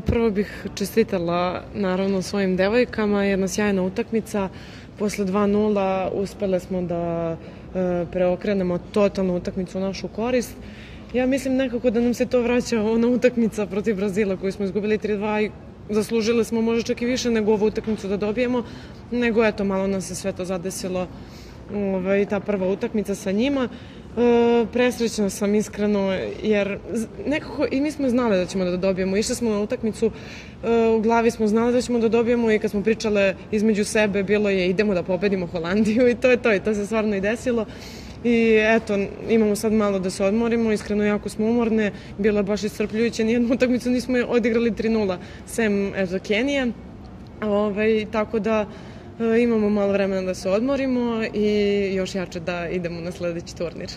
Prvo bih čestitala naravno svojim devojkama, jedna sjajna utakmica. Posle 2:0 uspele smo da preokrenemo totalnu utakmicu u našu korist. Ja mislim nekako da nam se to vraća ona utakmica protiv Brazila koju smo izgubili 3:2 i zaslužili smo možda čak i više nego ovu utakmicu da dobijemo, nego eto malo nas se sve to zadesilo ta prva utakmica sa njima. Presrećna sam iskreno jer nekako i mi smo znali da ćemo da dobijemo, išli smo na utakmicu, u glavi smo znali da ćemo da dobijemo i kad smo pričale između sebe bilo je idemo da pobedimo Holandiju i to je to i to se stvarno i desilo. I eto, imamo sad malo da se odmorimo, iskreno jako smo umorne, bilo je baš iscrpljujuće, nijednu utakmicu nismo odigrali 3:0, sem eto Kenije, tako da imamo malo vremena da se odmorimo i još jače da idemo na sledeći turnir.